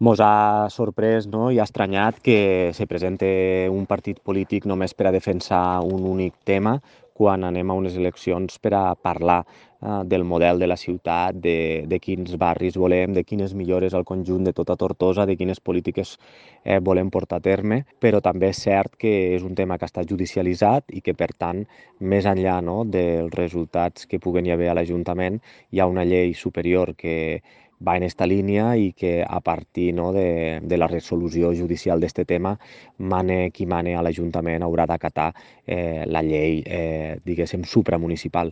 Mos ha sorprès, no, i ha estranyat que se presente un partit polític només per a defensar un únic tema quan anem a unes eleccions per a parlar del model de la ciutat, de quins barris volem, de quines millores al conjunt de tota Tortosa, de quines polítiques volem portar a terme, però també és cert que és un tema que està judicialitzat i que, per tant, més enllà, no, dels resultats que puguen hi haver a l'Ajuntament, hi ha una llei superior que va en esta línia i que a partir, no, de la resolució judicial d'aquest tema, mane qui mane a l'Ajuntament haurà d'acatar la llei, diguéssim, supramunicipal.